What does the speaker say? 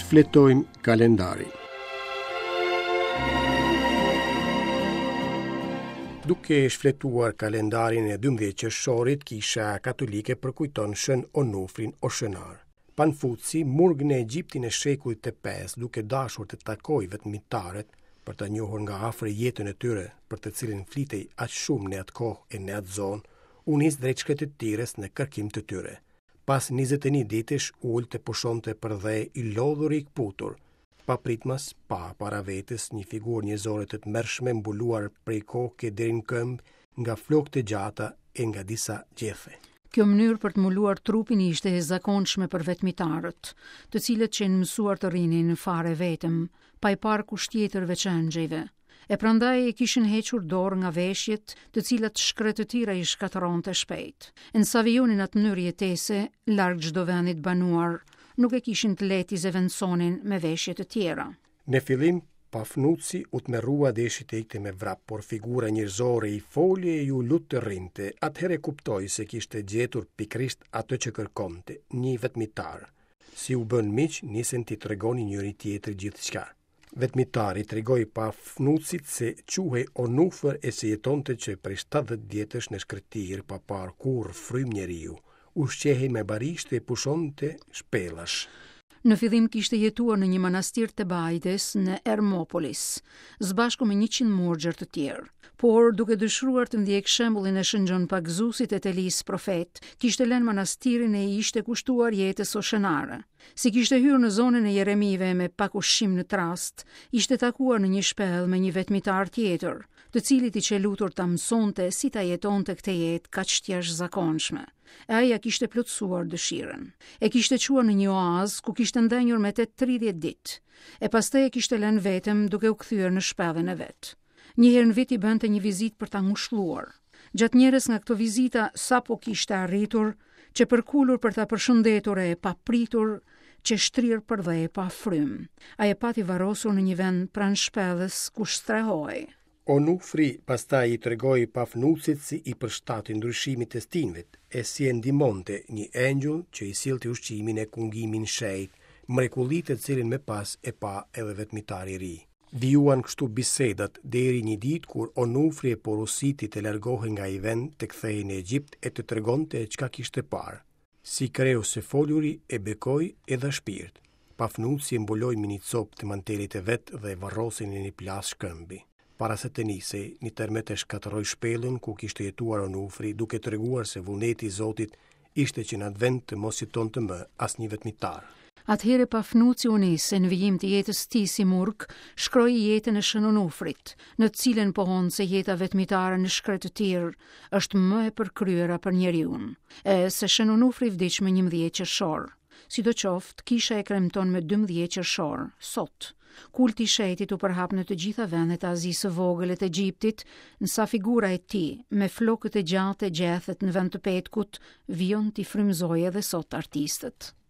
Shfletojmë kalendarin. Duke shfletuar kalendarin e 12 qershorit, Kisha Katolike përkujton Shën Onufrin Oshenar. Panfuci, murg në Egjiptin e shekullit të 5, duke dashur të takojë vetmitarët për të njohur nga afër jetën e tyre, për të cilën flitej aq shumë në atë kohë e në atë zonë, u nis drejt shkretëtirës në kërkim të tyre. Pas 21 ditësh u ul të pushonte përdhe i lodhur i këputur. Papritmas pa para vetes një figurë njerëzore të tmerrshme mbuluar prej koke deri në këmbë nga flokë të gjata e nga disa gjethe. Kjo mënyrë për të mbuluar trupin ishte e zakonshme për vetmitarët, të cilët qenë mësuar të rrinin fare vetëm, pa i parë kush tjetër veç engjëjve. E prandaj e kishin hequr dorë nga veshjet, të cilat shkretëtira i shkatërronte shpejt. E në sa vijonin atë mënyrë jetese, larg çdo vendi të banuar, nuk e kishin të lehtë t'i zëvendësonin me veshje të tjera. Në fillim, Pafnuci u tmerrua deshi të ikte me vrap, por figura njerëzore i foli e iu lut të rrinte. Atëherë kuptoi se kishte gjetur pikërisht atë që kërkonte, një vetmitar. Si u bënë miq, nisën t'i tregonin njëri-tjetrit gjithçka. Vetmitari i tregoi Pafnucit se quhej Onufër e se jetonte që prej 70 vjetësh në shkretëtirë pa parë kurrë frymë njeriu. Ushqehej me barishte e pushonte shpellash. Në fillim kishte jetuar në një manastir të Tebaides në Ermopolis, së bashku me 100 murgjër të tjerë. Por, duke dëshiruar të ndjekë shembullin e Shën Gjon Pagëzuesit e të Elisë profet, kishte lënë manastirin e i ishte kushtuar jetës oshenare. Si kishte hyrë në zonën e Jeremive me pak ushqim në trastë, ishte takuar në një shpellë me një vetmitar tjetër, të cilit i qe lutur ta mësonte si ta jetonte këtë jetë kaq të jashtëzakonshme. E ai ia kishte plotësuar dëshirën. E kishte çuar në një oaz ku kishte ndenjur me të 30 ditë. E pastaj e kishte lënë vetëm duke u kthyer në shpellën e vet. Një herë në vit i bënte një vizitë për ta ngushëlluar. Gjatë njërës nga këto vizita, sapo kishte arritur, qe përkulur për ta përshëndetur e papritur, qe shtrirë përdhe pa frymë. Ai e pati varrosur në një vend pranë shpellës ku strehohej. Onufri pastaj i tregoi Pafnucit si i përshtatej ndryshimit të stinëve e si e ndihmonte një engjëll që i sillte ushqimin e kungimin shenjt, mrekulli të cilën më pas e pa edhe vetmitari i ri. Vijuan kështu bisedat deri një ditë kur Onufri e porositi të largohej nga ai vend, të kthehej në Egjipt e të tregonte çka kishte parë. Si kreu së foluri e bekoi e dha shpirt. Pafnuci e mbuloi me një copë të mantelit të vet dhe e varrosi në një plasë shkëmbi. Para se të nisej, një tërmet e shkatërroi shpellën ku kishte jetuar Onufri, duke treguar se vullneti i Zotit ishte që në atë vend të mos jetonte më asnjë vetmitar. Atëherë Pafnuci u nis e në vijim të jetës tij si murg, shkroi jetën e Shën Onufrit, në të cilën pohon se jeta vetmitare në shkretëtirë është më e përkryera për njeriun, e se Shën Onufri vdiq më 11 qershor. Sidoqoftë, kisha e kremton me 12 qershor, sot. Kulti i shenjtit u përhap në të gjitha vendet e Azisë së Vogël e të Egjiptit, në sa figura e tij, me flokët e gjatë e gjethet në vend të petkut, vijon t'i frymëzojë edhe sot artistët.